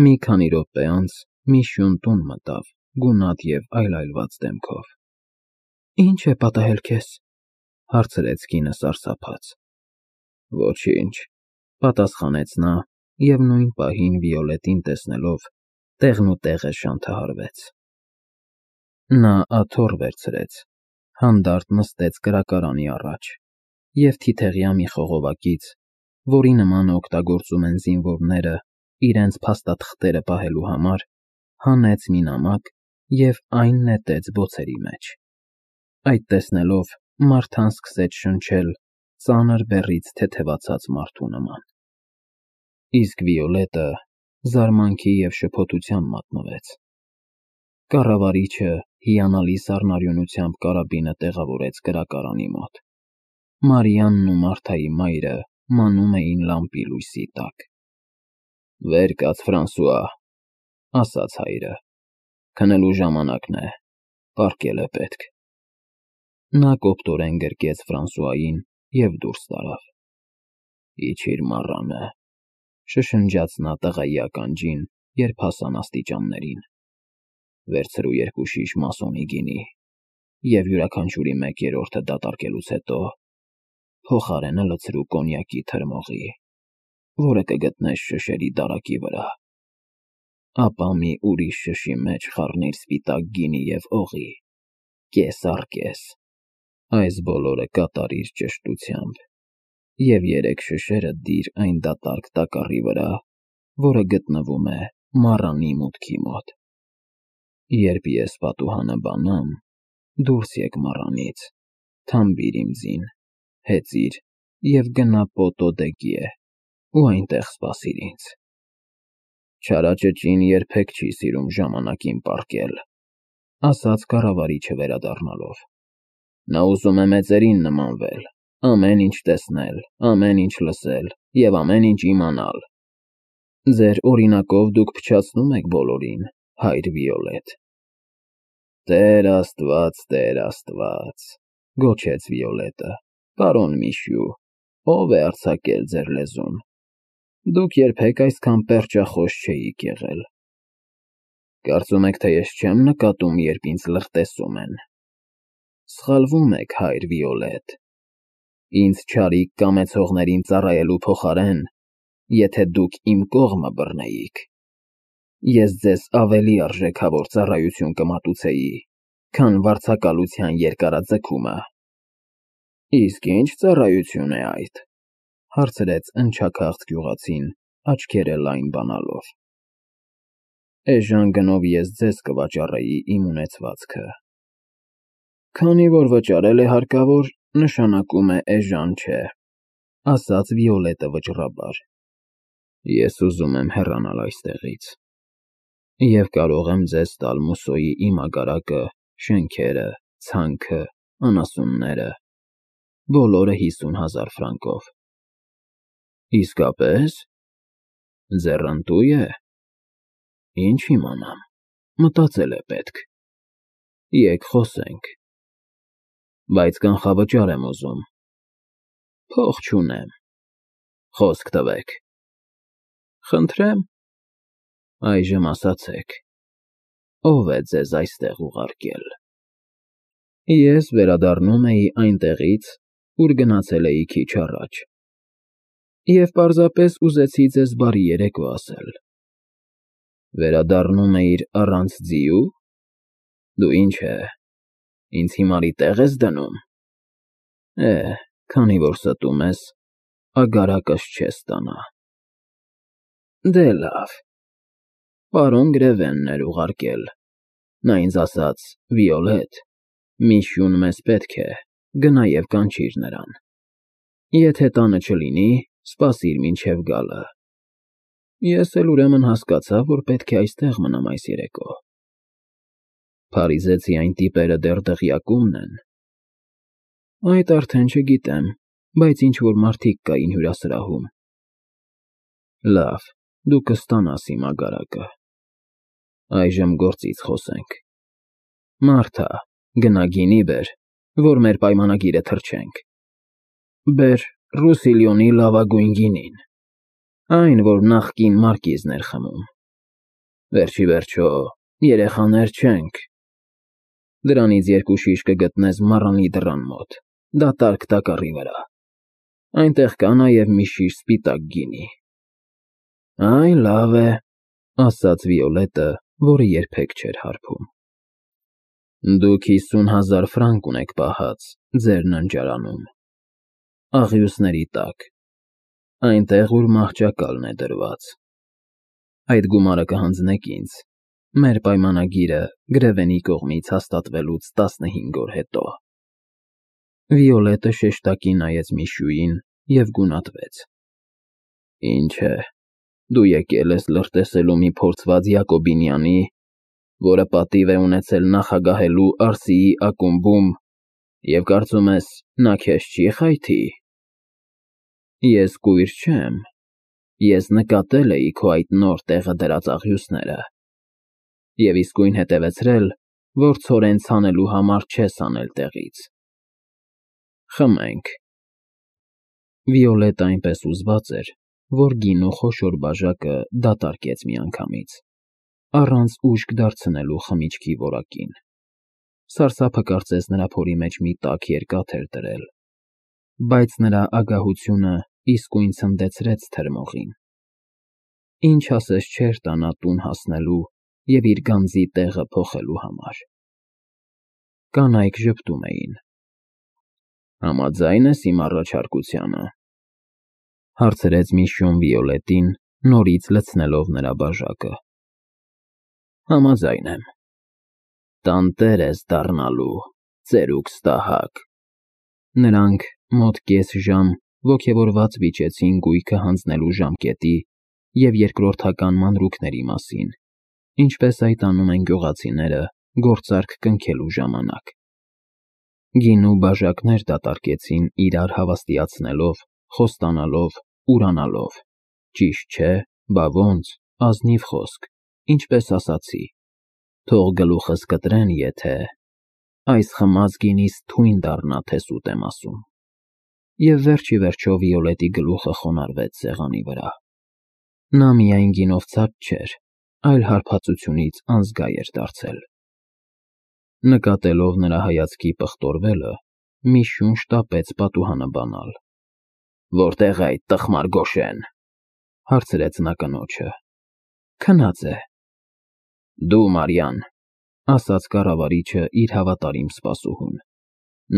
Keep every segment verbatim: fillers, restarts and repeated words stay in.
Մի քանի րոպե անց մի շուն տուն մտավ, գունատ և այլայլված դեմքով։ ֊ Ի՞նչ է պատահել քեզ,֊ հարցրեց կինը սարսափած։ ֊ Ոչինչ,֊ պատասխանեց նա և նույն պահին Վիոլետին տեսնելով տեղնուտեղը շանթահարվեց։ Նա աթոռ վերցրեց, հանդարտ նստեց կրակարանի առաջ և թիթեղյա մի խողովակից, որի նմանը օգտագործում են զինվորները իրենց փաստաթղթերը պահելու համար, հանեց մի նամակ և այն նետեց բոցերի մեջ։ Այդ տեսնելով Մարթան սկսեց շնչել ծանր բեռից թեթևացած մարդու նման։ Իսկ Վիոլետը զարմանքի և շփոթության մատնվեց։ Կառավարիչը հիանալի սառնարյունությամբ կարաբինը տեղավորեց կրակարանի մոտ։ Մարիանն ու Մարթայի մայրը մանում էին լամպի լույսի տակ։ ֊ Վեր կաց, Ֆրանսուଆ,֊ ասաց հայրը։ Քնելու ժամանակն է, պառկել է պետք։ Նա կոպտորեն գրկեց Ֆրանսուային և դուրս տարավ։ ֊ Իջիր, մառանը,֊ շշնջաց նա տղայի ականջին, երբ հասան աստիճաններին։ Վերցրու երկու շիշ մասոնի գինի և յուրաքանչյուրի մեկ երրորդը դատարկելուց հետո փոխարենը լցրու կոնյակի թրմողի, որը կգտնես շշերի դարակի վրա։ Ապա մի ուրիշ շշի մեջ խառնիր սպիտակ գինի և օղի, կես առ կես, այս բոլորը կատարիր ճշտությամբ և երեք շշերը դիր այն դատարկ տակառի վրա, որը գտնվում է մառանի մուտքի մոտ։ Երբ ես պատուհանը բանամ, դուրս եկ մառանից, թամբիր իմ ձին, հեծիր և գնա Պոտո դե Գյե ու այնտեղ սպասիր ինձ։ Չարաճճին երբեք չի սիրում ժամանակին պառկել,֊ ասաց կառավարիչը վերադառնալով։ Նա ուզում է մեծերին նմանվել, ամեն ինչ տեսնել, ամեն ինչ լսել և ամեն ինչ իմանալ։ Ձեր օրինակով դուք փչացնում եք բոլորին, հայր Վիոլետ։ ֊ Տեր Աստված, Տեր Աստված,֊ գոչեց Վիոլետը,֊ պարոն Միշյու, ո՞վ է արձակել ձեր լեզուն։ Դուք երբեք այսքան պերճախոս չէիք եղել։ Կարծում եք, թե ես չեմ նկատում, երբ ինձ լղտեսում են։ Սխալվում եք, հայր Վիոլետ։ Ինձ չարիք կամեցողներին ծառայելու փոխարեն, եթե դուք իմ կողմը բռնեիք, ես ձեզ ավելի արժեքավոր ծառայություն կմատուցեի, քան վարձակալության երկարաձգումը։ ֊ Իսկ ի՞նչ ծառայություն է այդ,֊ հարցրեց ընչաքաղց գյուղացին, աչքերը լայն բանալով։ ֊ Էժան գնով ես ձեզ կվաճառեի իմ ունեցվածքը։ ֊ Քանի որ վճարել է հարկավոր, նշանակում է էժան չէ,֊ ասաց Վիոլետը վճռաբար։ ֊ Ես ուզում եմ հեռանալ այստեղից և կարող եմ ձեզ տալ Մուսոյի իմ ագարակը, շենքերը, ցանքը, անասունները, բոլորը հիսուն հազար ֆրանկով։ ֊ Իսկապե՞ս։ Ձեռնտո՞ւ է։ Ինչ իմանամ, մտածել է պետք։ Եկ խոսենք։ Բայց կանխավճար եմ ուզում։ Փող չունեմ։ Խոսք տվեք։ Խնդրեմ։ Այժմ ասացեք, ո՞վ է ձեզ այստեղ ուղարկել։ Ես վերադառնում էի այնտեղից, ուր գնացել էի քիչ առաջ, և պարզապես ուզեցի ձեզ բարի երեկո ասել։ Վերադառնում էիր առանց ձիու։ Դու ինչ է, ինձ հիմարի տեղ ես դնում։ Է, քանի որ ստում ես, ագարակս չես ստանա։ Դե լավ, պարոն Գրևենն էր ուղարկել, նա ինձ ասաց. «Վիոլետ, Միշյուն մեզ պետք է, գնա և կանչիր նրան։ Եթե տանը չլինի, սպասիր մինչև գալը»։ Ես էլ ուրեմն հասկացա, որ պետք է այստեղ մնամ այս երեկո։ Փարիզեցի այն տիպերը դեռ դղյակումն են։ Այդ արդեն չգիտեմ, բայց ինչ֊որ մարդիկ կային հյուրասրահում։ Լավ, դու կստանաս իմ ագարակը։ Այժմ գործից խոսենք։ Մարթա, գնա գինի բեր, որ մեր պայմանագիրը թրջենք։ Բեր Ռուսիլիոնի լավագույն գինին, այն, որ նախկին մարկիզն էր խմում։ Վերջի վերջո, երեխաներ չենք։ Դրանից երկու շիշ կգտնես մառանի դռան մոտ, դատարկ տակառի վրա։ Այնտեղ կա նաև մի շիշ սպիտակ գինի։ Այ լավ է, ասաց Վիոլետը, որը երբեք չէր հարբում։ Դուք հիսուն հազար ֆրանկ ունեք պահած ձեր ննջարանում, աղյուսների տակ, այնտեղ, ուր մահճակալն է դրված։ Այդ գումարը կհանձնեք ինձ, մեր պայմանագիրը Գրևենի կողմից հաստատվելուց տասնհինգ օր հետո։ Վիոլետը շեշտակի նայեց Միշուին և գունատվեց։ Ինչ է, դու եկել ես լրտեսելու մի փորձված Յակոբինյանի, որը պատիվ է ունեցել նախագահելու Արսիի ակումբում, և կարծում ես, նա քեզ չի խայթի։ Ես կույր չեմ, ես նկատել էի քո այդ նոր տեղը դրած աղյուսները և իսկույն հետևեցրել, որ ցորեն ցանելու համար չես հանել տեղից։ Խմենք։ Վիոլետը այնպես հուզված էր, որ գինու խոշոր բաժակը դատարկեց միանգամից, առանց ուժգ դարձնելու խմիչքի որակին։ Սարսափը կարծես նրա փորի մեջ մի տաք երկաթ էր դրել, բայց նրա ագահությունը իսկույն ցնդեցրեց թրմողին։ Ինչ ասես չէր տա նա տուն հասնելու և իր գանձի տեղը փոխելու համար։ Կանայք ժպտում էին։ Համաձա՞յն ես իմ առաջարկությանը, հարցրեց Միշուն Վիոլետին, նորից լցնելով նրա բաժակը։ Համաձայն եմ։ Տանտեր ես դառնալու, ծերուկ ստահակ։ Նրանք մոտ կես ժամ ոգևորված վիճեցին գույքը հանձնելու ժամկետի և երկրորդական մանրուքների մասին, ինչպես այդ անում են գյուղացիները գործարք կնքելու ժամանակ։ Գինու բաժակներ դատարկեցին իրար հավաստիացնելով, խոստանալով, ուրանալով, ճիշտ չէ, բա ոնց, ազնիվ խոսք, ինչպես ասացի, թող գլուխս կտրեն, եթե… այս խմած գինիս թույն դառնա, թե սուտ եմ ասում։ Եվ վերջ ի վերջո Վիոլետի գլուխը խոնարհվեց սեղանի վրա։ Նա միայն գինով ցած չէր, այլ հարբածությունից անզգա էր դարձել։ Նկատելով նրա հայացքի պղտորվելը, Միշուն շտապեց պատուհանը բանալ։ Որտե՞ղ է այդ տխմար Գոշեն, հարցրեց նա կնոջը։ Քնած է։ Դու, Մարիան, ասաց կառավարիչը իր հավատարիմ սպասուհուն,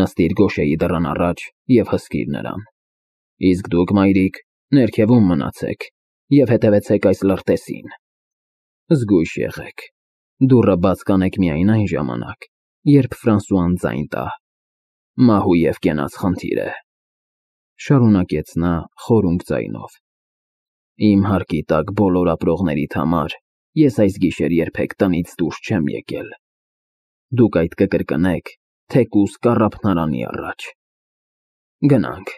նստիր Գոշեի դռան առաջ և հսկիր նրան։ Իսկ դուք, մայրիկ, ներքևում մնացեք և հետևեցեք այս լրտեսին։ Զգույշ եղեք, դուռը բաց կանեք միայն այն ժամանակ, երբ Ֆրանսուան ձայն տա։ Մահու և կենաց խնդիր է, շարունակեց նա խորունկ ձայնով։ Իմ հարկի տակ բոլոր ապրողներիդ համար ես այս գիշեր երբեք տնից դուրս չեմ եկել։ Դուք այդ կկրկնեք թեկուզ կառափնարանի առաջ։ Գնանք,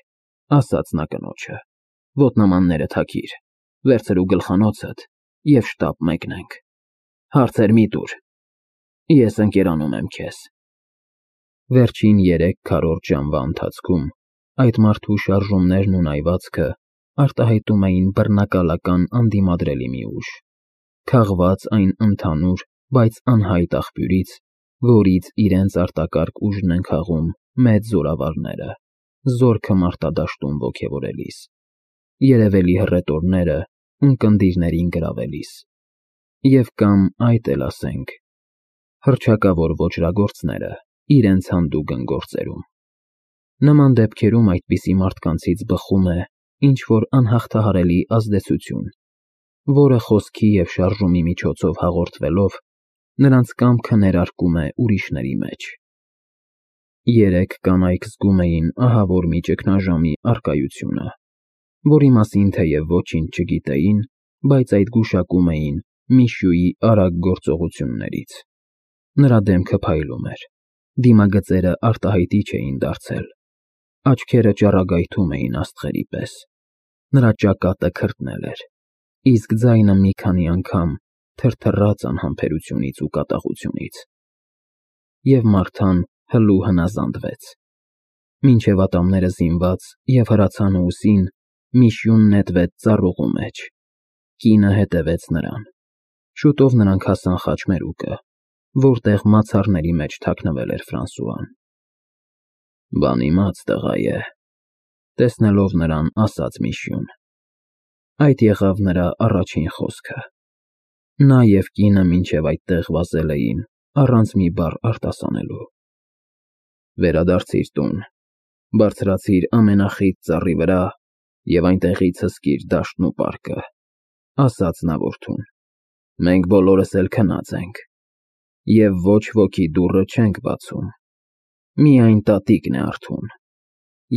ասաց նա կնոջը, ոտնամանները թաքիր, վերցրու գլխանոցդ և շտապ մեկնենք։ Հարցեր մի տուր, ես ընկերանում եմ քեզ։ Վերջին երեք քառորդ ժամվա ընթացքում այդ մարդու շարժումներն ու նայվածքը արտահայտում էին բռնակալական անդիմադրելի մի ուժ, քաղված այն ընդհանուր, բայց անհայտ աղբյուրից, որից իրենց արտակարգ ուժն են քաղում մեծ զորավարները, զորքը մարտադաշտում ոգևորելիս, երևելի հռետորները ունկնդիրներին գրավելիս, և կամ այդ էլ ասենք, հռչակավոր ոճրագործները իրենց հանդուգն գործերում։ Նման դեպքերում այդպիսի մարդկանցից բխում է ինչ-որ անհաղթահարելի ազդեցություն, որը խոսքի և շարժումի միջոցով հաղորդվելով նրանց կամքը ներարկում է ուրիշների մեջ։ Երեք կանայք զգում էին ահավոր մի ճգնաժամի առկայությունը, որի մասին թեև ոչինչ չգիտեին, բայց այդ գուշակում էին Միշուի արագ գործողություններից։ Նրա դեմքը փայլում էր, դիմագծերը արտահայտիչ էին դարձել, աչքերը ճառագայթում էին աստղերի պես, նրա ճակատը քրտնել էր, իսկ ձայնը մի քանի անգամ թրթռաց անհամբերությունից ու կատաղությունից։ Եվ Մարթան հլու հնազանդվեց։ Մինչև ատամները զինված և հրացանը ուսին, Միշյուն նետվեց ծառուղու մեջ։ Կինը հետևեց նրան։ Շուտով նրանք հասան խաչմերուկը, որտեղ մացառների մեջ թաքնվել էր Ֆրանսուան։ Բան իմաց տղա է, տեսնելով նրան, ասաց Միշյուն։ Այդ եղավ նրա առաջին խոսքը։ Նա և կինը մինչև այդտեղ վազել էին, առանց մի բառ արտասանելու։ Վերադարձիր տուն, բարձրացիր ամենախիտ ծառի վրա և այնտեղից հսկիր դաշտն ու պարկը, ասաց նա որդուն, մենք բոլորս էլ քնած ենք, և ոչ ոքի դուռը չենք բացում, միայն տատիկն է արթուն,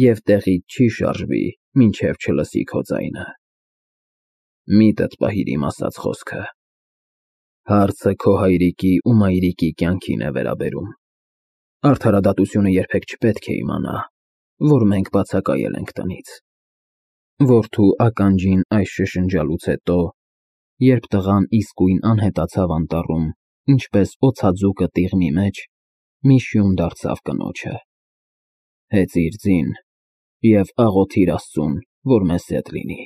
և տեղից չի շարժվի, մինչև չլսի քո ձայնը։ Միտդ պահիր իմ ասած խոսքը, հարցը քո հայրիկի ու մայրիկի կյանքին է վերաբերում, արդարադատությունը երբեք չպետք է իմանա, որ մենք բացակայել ենք տնից։ Որդու ականջին այս շշնջալուց հետո, երբ տղան իսկույն անհետացավ անտառում, ինչպես օձաձուկը տիղմի մեջ, Միշյուն դարձավ կնոջը. հեծիր ձին և աղոթիր Աստծուն, որ մեզ հետ լինի,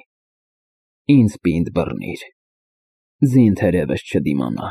ինձ պինդ բռնիր, ձին թերևս չդիմանա։